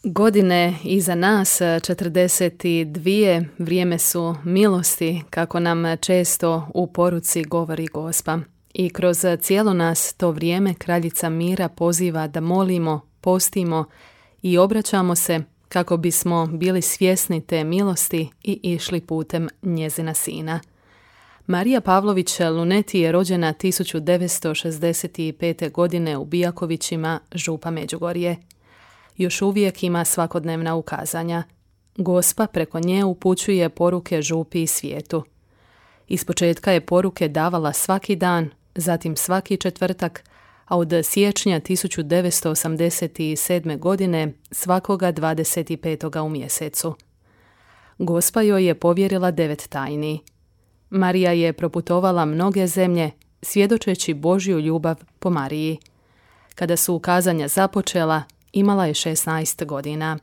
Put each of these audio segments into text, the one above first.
Godine iza nas, 42, vrijeme su milosti, kako nam često u poruci govori Gospa. I kroz cijelo nas to vrijeme Kraljica mira poziva da molimo, postimo i obraćamo se kako bismo bili svjesni te milosti i išli putem njezina sina. Marija Pavlović Luneti je rođena 1965. godine u Bijakovićima, Župa Međugorje. Još uvijek ima svakodnevna ukazanja. Gospa preko nje upućuje poruke župi i svijetu. Ispočetka je poruke davala svaki dan, zatim svaki četvrtak, a od siječnja 1987. godine svakoga 25. u mjesecu. Gospa joj je povjerila 9 tajni. Marija je proputovala mnoge zemlje, svjedočeći Božju ljubav po Mariji. Kada su ukazanja započela, imala je 16 godina.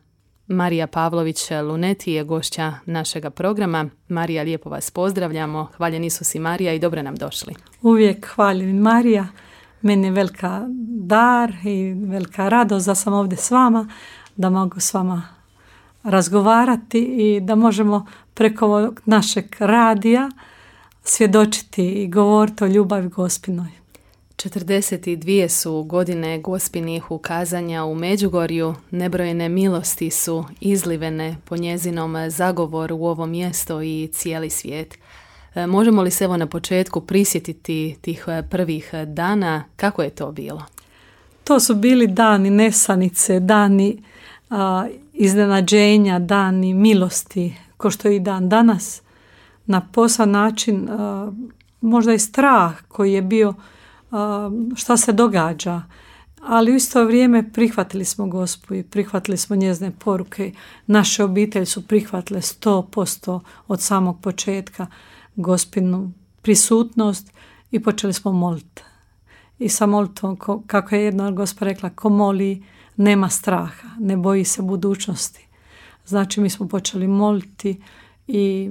Marija Pavlović Luneti je gošća našega programa. Marija, lijepo vas pozdravljamo. Hvaljen Isus i Marija i dobro nam došli. Uvijek hvaljen Marija. Meni je velika dar i velika radost da sam ovdje s vama, da mogu s vama razgovarati i da možemo preko našeg radija svjedočiti i govoriti o ljubavi Gospinoj. 42 su godine Gospinih ukazanja u Međugorju, nebrojene milosti su izlivene po njezinom zagovoru u ovo mjesto i cijeli svijet. Možemo li se evo na početku prisjetiti tih prvih dana, kako je to bilo? To su bili dani nesanice, dani iznenađenja, dani milosti, ko što je i dan danas. Na poseban način možda i strah koji je bio šta se događa, ali u isto vrijeme prihvatili smo Gospu i prihvatili smo njezine poruke. Naše obitelji su prihvatile 100% od samog početka Gospinu prisutnost i počeli smo moliti. I sa molitvom, kako je jedna Gospa rekla, ko moli nema straha, ne boji se budućnosti. Znači mi smo počeli moliti i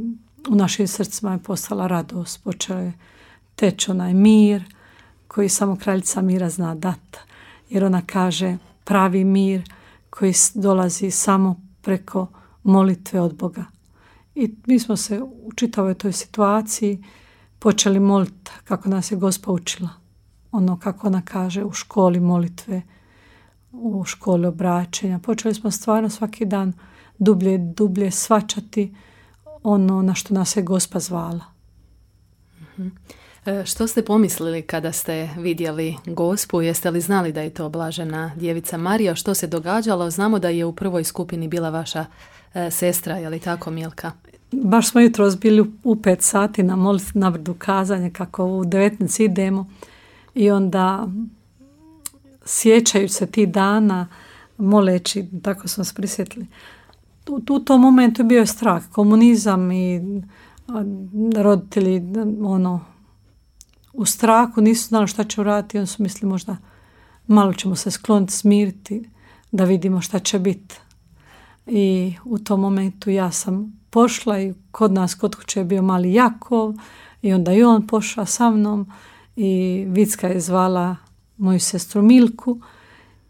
u našim srcima je postala radost, počeo je teći onaj mir koji samo Kraljica mira zna dati. Jer ona kaže pravi mir koji dolazi samo preko molitve od Boga. I mi smo se u čitavoj toj situaciji počeli moliti kako nas je Gospa učila. Ono kako ona kaže u školi molitve, u školi obraćenja. Počeli smo stvarno svaki dan dublje shvaćati ono na što nas je Gospa zvala. Što ste pomislili kada ste vidjeli Gospu? Jeste li znali da je to blažena djevica Marija? Što se događalo? Znamo da je u prvoj skupini bila vaša sestra, je li tako, Milka? Baš smo jutros bili u 5 sati na molitvi na brdu kazanja, kako u 19 idemo i onda sjećajući se ti dana, moleći, tako smo se prisjetili. U tom momentu bio je strah, komunizam i roditelji u strahu nisu znali šta će uraditi, oni su mislili možda malo ćemo se skloniti, smiriti, da vidimo šta će biti. I u tom momentu ja sam pošla i kod nas kod kuće je bio mali Jakov i onda i on pošao sa mnom i Vicka je zvala moju sestru Milku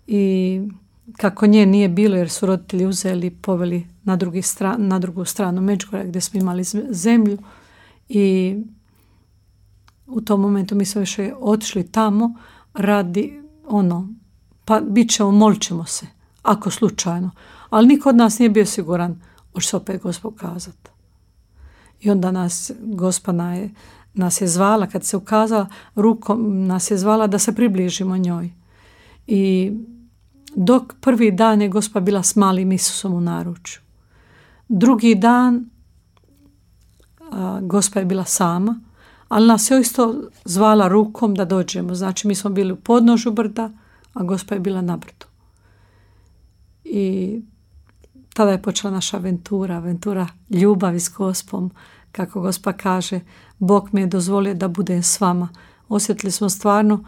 i kako nje nije bilo jer su roditelji uzeli i poveli na drugu stranu Međugorja gdje smo imali zemlju i u tom momentu mi smo više otišli tamo radi pa bit ćemo, molit ćemo se, ako slučajno. Ali niko od nas nije bio siguran hoće se opet Gospa ukazati. I onda Gospa nas je zvala, kad se ukazala rukom, nas je zvala da se približimo njoj. I dok prvi dan je Gospa bila s malim Isusom u naručju. Drugi dan Gospa je bila sama, ali nas je isto zvala rukom da dođemo. Znači mi smo bili u podnožju brda, a Gospa je bila na brdu. I tada je počela naša aventura ljubavi s Gospom. Kako Gospa kaže, Bog mi je dozvolio da budem s vama. Osjetili smo stvarno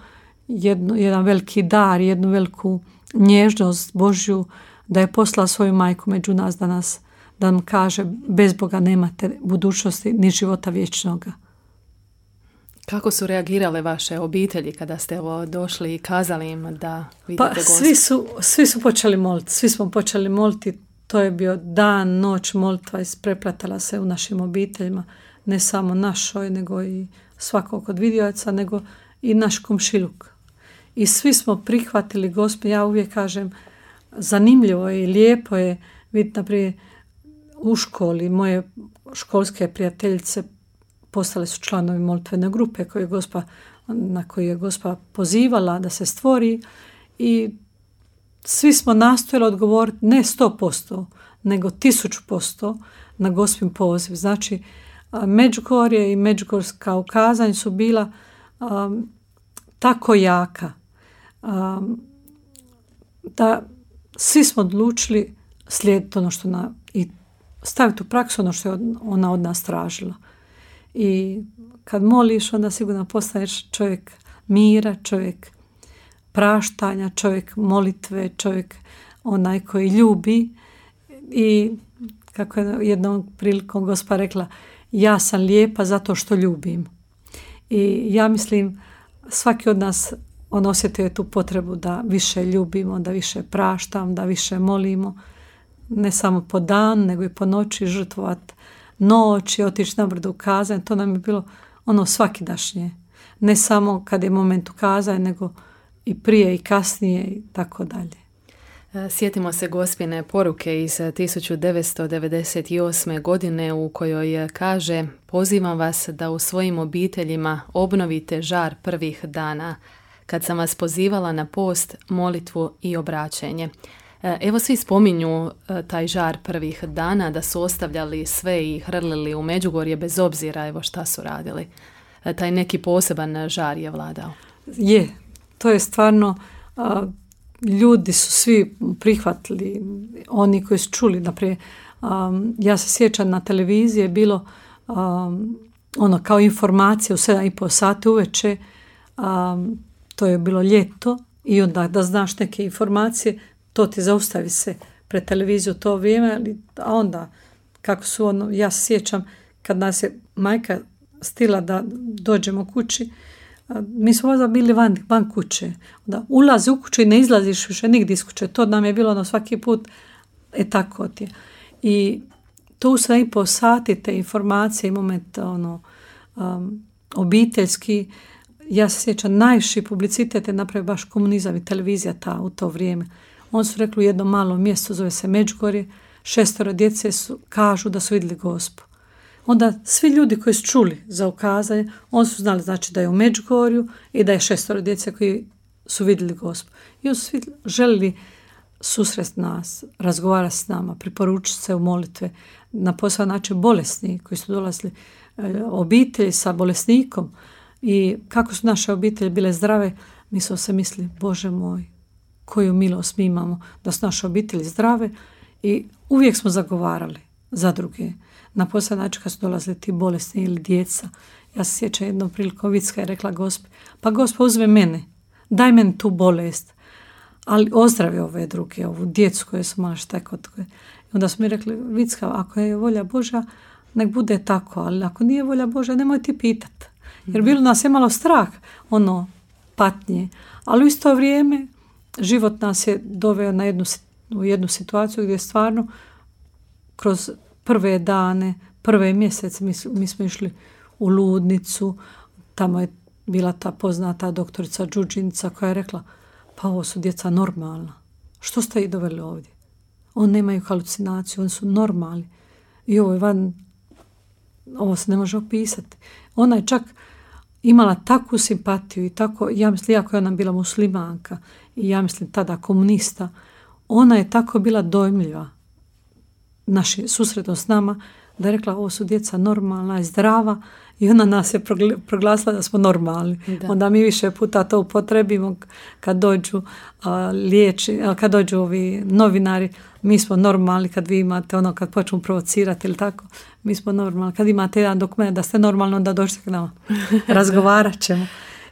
jedan veliki dar, jednu veliku nježnost Božju, da je poslala svoju majku među nas da nam kaže bez Boga nemate budućnosti ni života vječnoga. Kako su reagirale vaše obitelji kada ste došli i kazali im da vidite Gospu? Svi su počeli moliti. Svi smo počeli moliti. To je bio dan, noć, molitva ispreplatala se u našim obiteljima. Ne samo našoj, nego i svakog od vidioca, nego i naš komšiluk. I svi smo prihvatili Gospu. Ja uvijek kažem, zanimljivo je i lijepo je vidjeti, naprijed, u školi moje školske prijateljice postale su članovi molitvene grupe na koju je Gospa pozivala da se stvori i svi smo nastojali odgovoriti ne 100%, nego 1000% na Gospin poziv. Znači, Međugorje i međugorska ukazanja su bila tako jaka da svi smo odlučili slijediti ono što i staviti u praksu ono što je ona od nas tražila. I kad moliš, onda sigurno postaneš čovjek mira, čovjek praštanja, čovjek molitve, čovjek onaj koji ljubi. I kako je jednom prilikom Gospa rekla, ja sam lijepa zato što ljubim. I ja mislim, svaki od nas osjetio je tu potrebu da više ljubimo, da više praštam, da više molimo. Ne samo po dan, nego i po noći žrtvovati noć i otići na brdo ukazanje. To nam je bilo svakidašnje. Ne samo kad je moment ukazanja, nego i prije i kasnije i tako dalje. Sjetimo se Gospine poruke iz 1998. godine u kojoj kaže: pozivam vas da u svojim obiteljima obnovite žar prvih dana, kad sam vas pozivala na post, molitvu i obraćenje. Evo, svi spominju taj žar prvih dana, da su ostavljali sve i hrlili u Međugorje bez obzira evo šta su radili. Taj neki poseban žar je vladao. Je, to je stvarno, ljudi su svi prihvatili, oni koji su čuli. Naprijed, ja se sjećam, na televiziji je bilo kao informacija u 7:30 sati uveče, to je bilo ljeto, i onda da znaš neke informacije, to ti zaustavi se pred televiziju to vrijeme, a onda kako su ja se sjećam kad nas je majka stila da dođemo kući, mi smo možda bili van kuće, da ulazi u kuću i ne izlaziš više nigdje iz kuće, to nam je bilo svaki put, tako ti je. I to u 7:30 sati te informacije i moment obiteljski, ja se sjećam, najviši publicitet je napravio baš komunizam i televizija u to vrijeme. On su rekli u jednom malom mjestu, zove se Međugorje, 6 djece kažu da su vidjeli Gospu. Onda svi ljudi koji su čuli za ukazanje, oni su znali znači da je u Međugorju i da je 6 djece koji su vidjeli Gospu. I oni su svi želili susresti nas, razgovarati s nama, priporučiti se u molitve, na posao način bolesni koji su dolazili, obitelji sa bolesnikom. I kako su naše obitelji bile zdrave, mi smo se mislili, Bože moj, koju milost mi imamo da su naše obitelji zdrave, i uvijek smo zagovarali za druge. Na posljednji način kad su dolazili ti bolesni ili djeca, ja se sjećam jednom prilikom Vicka je rekla Gospi, pa Gospa uzme mene, daj meni tu bolest, ali ozdravi ove druge, ovu djecu koje su malo šta kod koje. I onda smo mi rekli, Vicka, ako je volja Božja, nek bude tako, ali ako nije volja Božja, nemoj ti pitati. Jer bilo nas je malo strah, patnje, ali u isto vrijeme život nas je doveo u jednu situaciju gdje stvarno kroz prve dane, prve mjesece mi smo išli u ludnicu, tamo je bila ta poznata doktorica Đuđinica koja je rekla, pa ovo su djeca normalna, što ste ih doveli ovdje? Oni nemaju halucinaciju, oni su normalni i ovo se ne može opisati. Ona je čak imala takvu simpatiju i tako, ja mislim, iako je ona bila muslimanka i ja mislim tada komunista, ona je tako bila dojmljiva naši susretom s nama, da je rekla, ovo su djeca normalna i zdrava, i ona nas je proglasila da smo normalni. Da. Onda mi više puta to upotrebimo kad dođu kad dođu ovi novinari, mi smo normalni, kad vi imate kad počnu provocirati ili tako, mi smo normalni. Kad imate jedan dokument da ste normalni, onda dođete k nama. Razgovarat ćemo.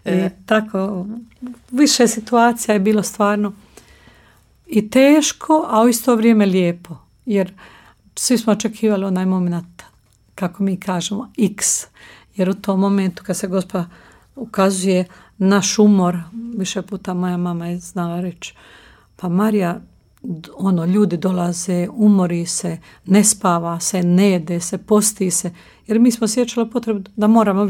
I tako, više situacija je bilo stvarno i teško, a u isto vrijeme lijepo. Jer svi smo očekivali onaj moment, kako mi kažemo, X. Jer u tom momentu kad se Gospa ukazuje naš umor. Više puta moja mama je znala reći, pa Marija, ljudi dolaze, umori se, ne spava se, ne jede se, posti se, jer mi smo osjećali potrebu da moramo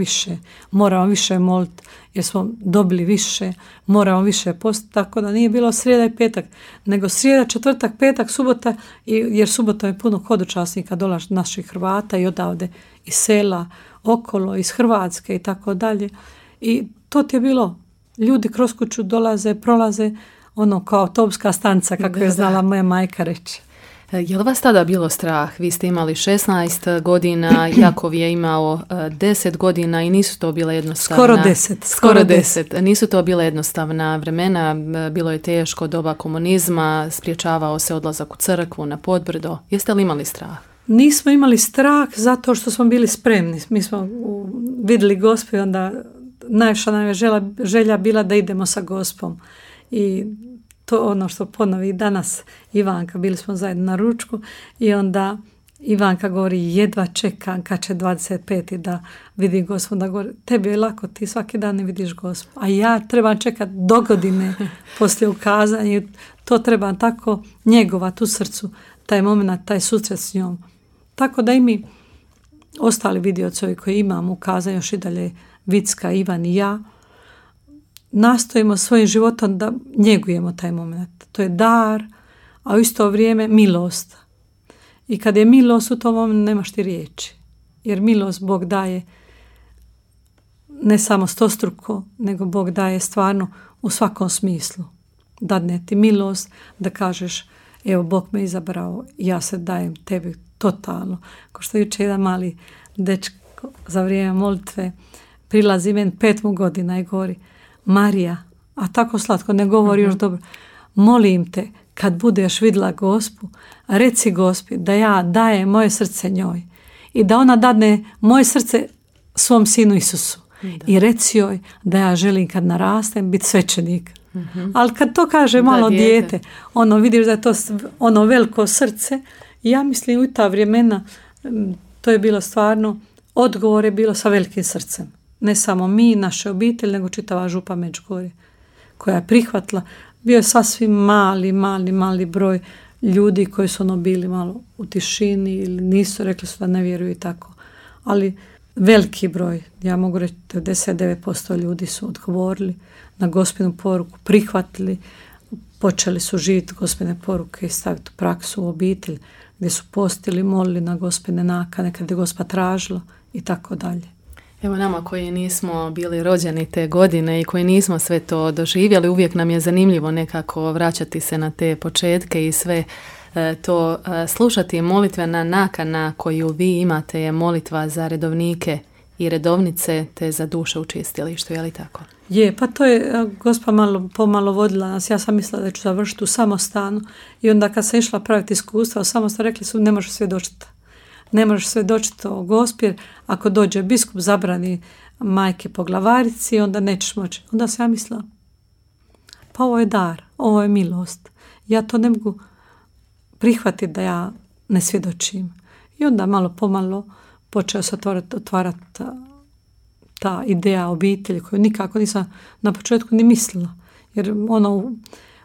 više moliti, jer smo dobili više, moramo više postiti, tako da nije bilo srijeda i petak, nego srijeda, četvrtak, petak, subota, jer subota je puno hodočasnika dolazi naših Hrvata i odavde iz sela, okolo, iz Hrvatske i tako dalje. I to ti je bilo, ljudi kroz kuću dolaze, prolaze, kao autobuska stanca, kako je znala moja majka reći. Je li vas tada bilo strah? Vi ste imali 16 godina, Jakov je imao 10 godina i nisu to bile jednostavna... Skoro 10. Nisu to bile jednostavna vremena, bilo je teško, doba komunizma, spriječavao se odlazak u crkvu, na Podbrdo. Jeste li imali strah? Nismo imali strah zato što smo bili spremni. Mi smo vidjeli Gospu i onda najviša nam je želja bila da idemo sa Gospom. I to ono što ponovi danas Ivanka, bili smo zajedno na ručku i onda Ivanka govori, jedva čekam kad će 25. da vidi Gospu, da govori, tebi je lako, ti svaki dan ne vidiš Gospu, a ja trebam čekati do godine poslije ukazanja, to trebam tako njegovati u srcu, taj moment, taj susret s njom. Tako da i mi, ostali vidiocovi koji imamo ukazanje, još i dalje Vicka, Ivan i ja, nastojimo svojim životom da njegujemo taj moment. To je dar, a u isto vrijeme milost. I kad je milost u tom momentu nemaš ti riječi. Jer milost Bog daje ne samo stostruko, nego Bog daje stvarno u svakom smislu. Dadne ti milost da kažeš, evo Bog me izabrao, ja se dajem tebi totalno. Ko što jučer jedan mali dečko za vrijeme molitve prilazi meni 5 godina i govori, Marija, a tako slatko, ne govori još dobro, molim te, kad budeš vidjela Gospu, reci Gospi da ja dajem moje srce njoj i da ona dadne moje srce svom sinu Isusu. Da. I reci joj da ja želim kad narastem biti svećenik. Ali kad to kaže malo dijete, vidiš da je to veliko srce, ja mislim u ta vremena to je bilo stvarno, odgovor je bilo sa velikim srcem. Ne samo mi, naše obitelji, nego čitava župa Međugorje koja je prihvatila. Bio je sasvim mali broj ljudi koji su bili malo u tišini ili nisu, rekli su da ne vjeruju i tako. Ali veliki broj, ja mogu reći 99% ljudi su odgovorili na Gospinu poruku, prihvatili, počeli su živjeti Gospine poruke i staviti u praksu u obitelj, gdje su postili, molili na Gospine nakane, kad je Gospa tražila i tako dalje. Evo nama koji nismo bili rođeni te godine i koji nismo sve to doživjeli, uvijek nam je zanimljivo nekako vraćati se na te početke i sve to slušati. Molitvena nakana koju vi imate je molitva za redovnike i redovnice te za duše u čistilištu, je li tako? Je, pa to je Gospa pomalo vodila nas. Ja sam mislila da ću završiti u samostanu i onda kad sam išla praviti iskustva u samostanu, rekli su ne možeš svjedočiti. Ne možeš svjedočiti o Gospi, jer ako dođe biskup zabrani majke poglavarici, onda nećeš moći. Onda sam ja mislila, pa ovo je dar, ovo je milost. Ja to ne mogu prihvatiti da ja ne svjedočim. I onda malo pomalo počeo se otvarati ta ideja obitelji koju nikako nisam na početku ni mislila. Jer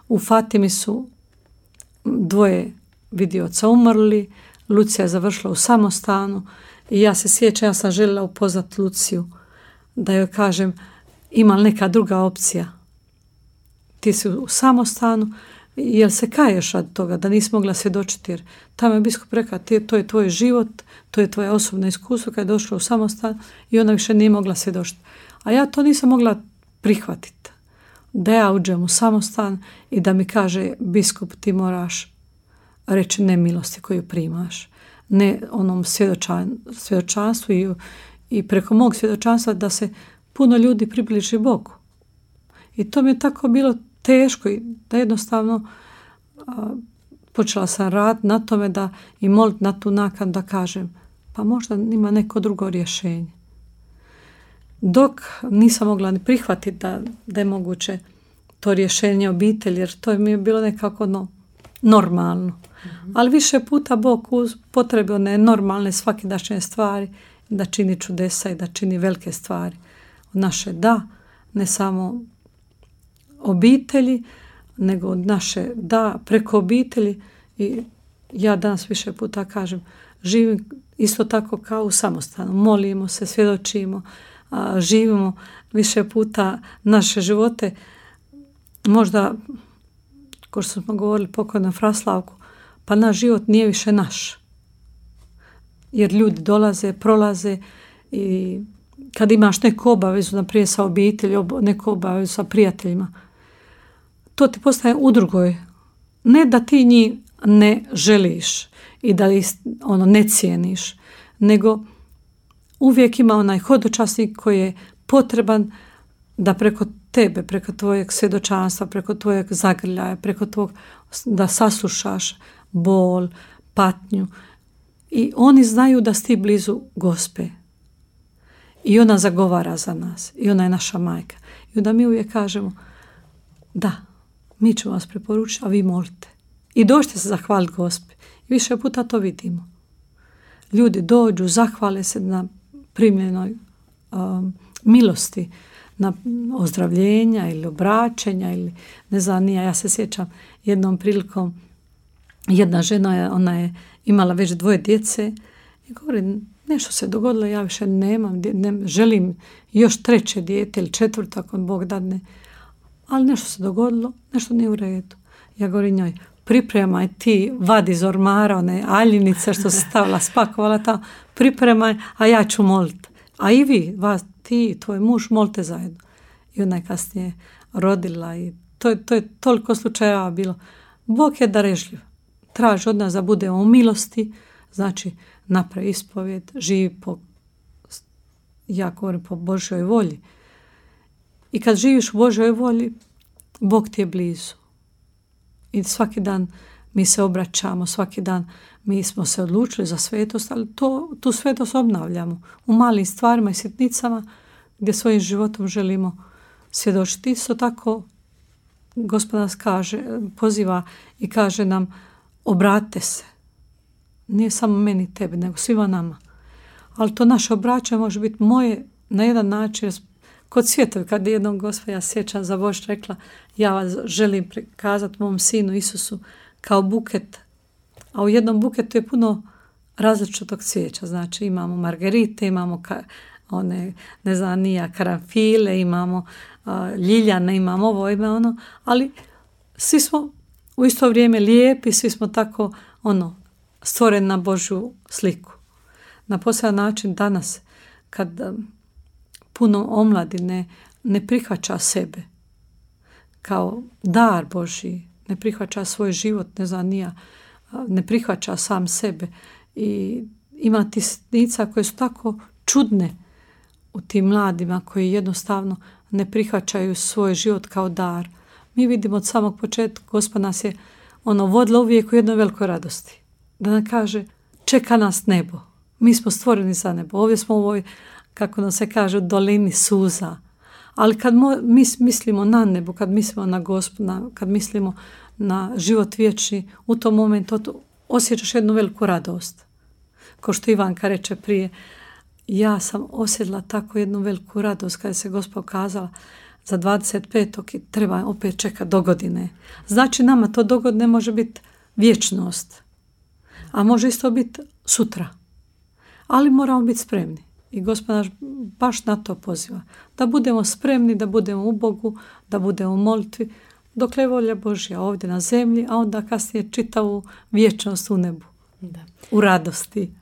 u Fatimi su 2 vidioca umrli, Lucija je završila u samostanu i ja se sjećam, ja sam željela upoznati Luciju da joj kažem ima li neka druga opcija. Ti si u samostanu, jel se kaješ od toga da nisi mogla svjedočiti, jer tamo je biskup rekao to je tvoj život, to je tvoje osobno iskustvo kad je došla u samostan i ona više nije mogla svjedočiti. A ja to nisam mogla prihvatiti. Da ja uđem u samostan i da mi kaže biskup ti moraš reći ne milosti koju primaš, ne onom svjedočanstvu i preko mog svjedočanstva da se puno ljudi približi Bogu. I to mi je tako bilo teško i da jednostavno počela sam raditi na tome da i moliti na tu nakanu da kažem pa možda ima neko drugo rješenje. Dok nisam mogla ni prihvatiti da je moguće to rješenje obitelji, jer to mi je bilo nekako normalno. Ali više puta Bog upotrebio one normalne svakidašnje stvari da čini čudesa i da čini velike stvari. naše da, ne samo obitelji, nego od naše da preko obitelji. I ja danas više puta kažem, živim isto tako kao u samostanu. Molimo se, svjedočimo, živimo više puta naše živote. Možda, kao što smo govorili pokojnom Fraslavku, pa naš život nije više naš. Jer ljudi dolaze, prolaze i kad imaš neku obavezu, naprijed sa obitelji, neku obavezu sa prijateljima, to ti postaje u drugoj. Ne da ti njih ne želiš i da ih ne cijeniš, nego uvijek ima onaj hodočasnik koji je potreban da preko tebe, preko tvojeg svjedočanstva, preko tvojeg zagrljaja, preko tvog da saslušaš bol, patnju. I oni znaju da si ti blizu Gospe. I ona zagovara za nas. I ona je naša majka. I onda mi uvijek kažemo, da, mi ćemo vas preporučiti, a vi molite. I dođite se zahvaliti Gospi. I više puta to vidimo. Ljudi dođu, zahvale se na primljenoj milosti, na ozdravljenja ili obraćenja ili ne znam, ja se sjećam jednom prilikom, jedna žena, ona je imala već 2 djece i govori, nešto se dogodilo, ja više nemam, želim još 3 dijete ili 4 ako Bog dadne, ali nešto se dogodilo, nešto nije u redu. Ja govorim njoj, pripremaj ti, vadi iz ormara one aljinice što se stavila, spakovala tamo, pripremaj, a ja ću moliti. A i vi, ti i tvoj muž, molite zajedno. I ona je kasnije rodila i to je toliko slučajeva bilo. Bog je darežljiv. Traži od nas da budemo u milosti, znači napravi ispovjed, živi ja govorim po Božjoj volji. I kad živiš u Božjoj volji, Bog ti je blizu. I svaki dan mi se obraćamo, svaki dan mi smo se odlučili za svetost, ali tu svetost obnavljamo u malim stvarima i sitnicama gdje svojim životom želimo svjedočiti. Isto tako Gospod nas poziva i kaže nam, obratite se. Nije samo meni i tebi, nego svima nama. Ali to naše obraćanje može biti moje na jedan način. Kod svjetovi, kad je jednom Gospa, ja sjećam za Bož rekla, ja vas želim prikazati mom sinu Isusu kao buket. A u jednom buketu je puno različitog cvijeća. Znači imamo margerite, imamo karanfile, imamo ljiljane, imamo ovo, ima ono. Ali svi smo u isto vrijeme lijepi, svi smo tako stvoreni na Božju sliku. Na poseban način danas, kad puno omladine ne prihvaća sebe kao dar Božji, ne prihvaća svoj život, ne prihvaća sam sebe i ima ti sitnica koje su tako čudne u tim mladima koji jednostavno ne prihvaćaju svoj život kao dar. Mi vidimo od samog početka, Gospod nas je vodila uvijek u jednoj velikoj radosti. Da nam kaže, čeka nas nebo. Mi smo stvoreni za nebo. Ovdje smo u ovoj, kako nam se kaže, dolini suza. Ali kad mi mislimo na nebo, kad mislimo na Gospoda, kad mislimo na život vječni, u tom momentu osjećaš jednu veliku radost. Kao što Ivanka reče prije, ja sam osjetila tako jednu veliku radost kada se Gospod kazala za 25. i treba opet čekati do godine. Znači nama to dogodine može biti vječnost, a može isto biti sutra. Ali moramo biti spremni. I Gospod nas baš na to poziva. Da budemo spremni, da budemo u Bogu, da budemo u molitvi, dokle je volja Božja ovdje na zemlji, a onda kasnije čitavu vječnost u nebu. Da. U radosti.